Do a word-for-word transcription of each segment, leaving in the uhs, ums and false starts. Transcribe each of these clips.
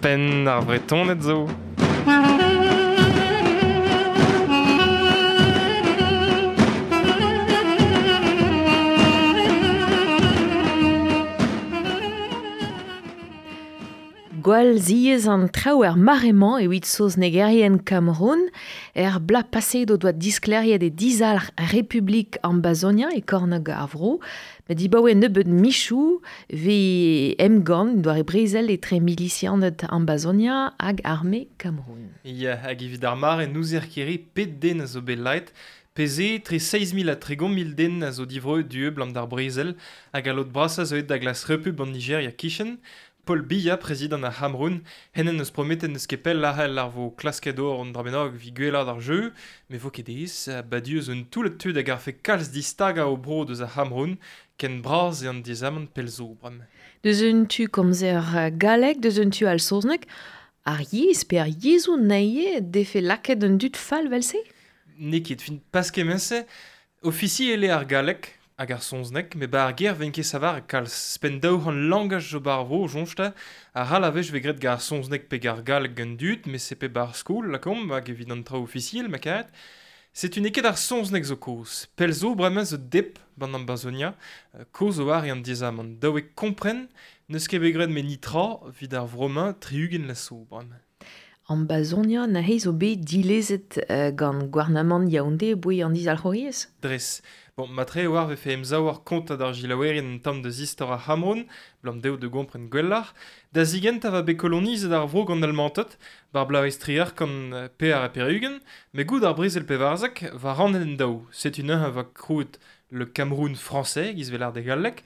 Penn ar Vretoned zo. Gwall ziez an traoù er mare-mañ evit saoznegerien Cameroun, er bla paset o doa disklêriet e dizalc'h Republik Ambazonia e kornôg ar vro, met dibaoe nebeud michoù ve emgann doare brezel etre milisianed Ambazonia hag arme Cameroun. Ya, hag evit ar mare n'ouzer ket pet den a zo bet laet, Peze, tre seizh mil ha tregont mil den a zo divroet du blam d'ar brezel, hag a lod brasañ zo aet da glas repub an Nigeria kichen. Paul Biya, prezidant ar Cameroun, hennen eus prometet n'eus ket pell arc'hell ar vo klasket or an dra bennak evit gwellaat ar jeu, met vo ket aes, badiu zo un toullad tud hag ar fe kalz distagañ o bro deus ar Cameroun, ken bras eo an diaezamant pell zo bremañ. Deus un tu komzer galleg, deus un tu al saozneg, ar yezh pe ar yezhoù naie defe lakaet un dud fall vel-se? N'eo ket, fin pas kement-se, ofisiel eo ar galleg, hag ar saozneg, met ba ar ger ven ket savar kalz spenn daou c'hant langaj zo bar vro, soñj-te, ar ral a wech vez graet gant ar saozneg pe gant ar galleg gant dud, met se pe bar skol, lakaomp, hag evit an traoù ofisiel, ma karet. Setu n'eo ket ar saozneg zo kaoz. Pell zo bremañ zo dep ban Ambazonia, kaoz zo war an diaezamant. Dav eo kompren, n'eus ket bet graet met nitra evit ar vro-mañ tri-ugent la zo bremañ. Ambazonia neuze zo bet dilezet euh, gant gouarnamant Yaoundé boe an dizalc'houriezh? Dres. Bon, matre oar vefe emsav ar kontañ d'ar gilaouerien un tamm deus istor ar C'hameroun, blam dezho da gompren gwelloc'h. Da zigentañ va bet kolonizet ar vro gant Almanted, bar bloavezh triwec'h kant pevar ha pevar-ugent, met goude ar brezel pevarzek va rannet en daou. Setu neuze va krouet le Cameroun français, giz vel ar de galleg,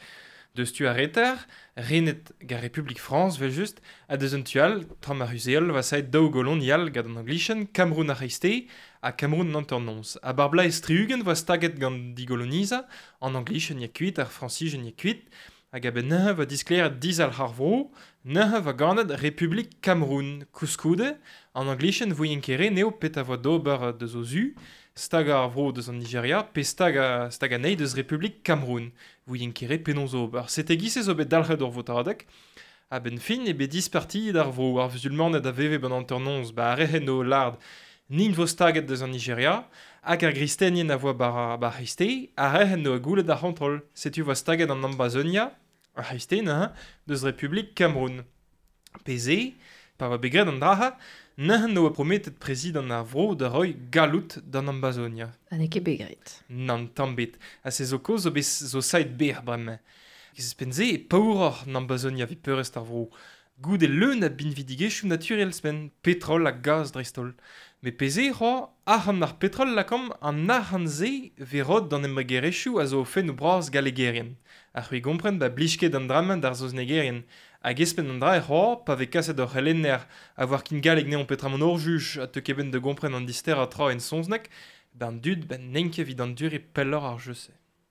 deus tu ar reter, renet gant Republik Frañs vel just, ha deus un tu all, tram ar Ruzeol, va saet daou golonial gant an Anglichen, Cameroun ar C'hreisteiz ha Cameroun an hanternoz. Ha bar bloaz tri-ugent va staget gant digolonizañ, an Anglichen ya kuit, ar Frañsijen ya kuit, hag a-benn neuze va disklêriet dizalc'h ar vro, neuze va ganet Republik Cameroun. Koulskoude, an Anglichen voient ket re n'eo petra voa d'ober deus o zu, stagañ ar vro deus an Nigeria, pe stagañ stagañ anezhi deus Republik Cameroun. Voient ket re penaos ober. Sete giz-se zo bet dalc'het ur votadeg. A-benn fin eo bet dispartiet ar vro, ar vuzulmaned a veve ban hanternoz, ba ar re o lard n'int vo staget deus an Nigeria, hag ar gristenien a voa bar, bar c'hreisteiz, ar re o goulet ar c'hontrol. Setu voa staget an Ambazonia, ar c'hreisteiz neuze, deus Republik Cameroun. Peze, pa oa bet graet an dra-se, neuze oa prometet prezidant ar vro da roiñ galloud d'an Ambazonia. Ha n'eo ket bet graet. Nann, tamm bet. Ha se zo kaoz zo bet zo saet berr bremañ. Ouzhpenn-se e paouroc'h an Ambazonia evit peurrest ar vro. Goude leun a binvidigezhioù naturel spenn, petrol ha gaz dreist-holl. Met peze c'hoazh, arc'hant ar petrol lakaomp, an arc'hant-se vez roet d'an embregerezhioù a zo o fennoù bras gallegerien. Ha c'hwi gompren ba blij ket an dra-mañ d'ar saoznegerien. Hag espenn an dra e c'hoazh, pa vez kaset ur c'helenner a voar kin galleg neon petra mont hor juj ha teu ket benn da gompren an disterañ tra en saozneg, ben dud ben n'int ket evit anduriñ pelloc'h ar jeu-se.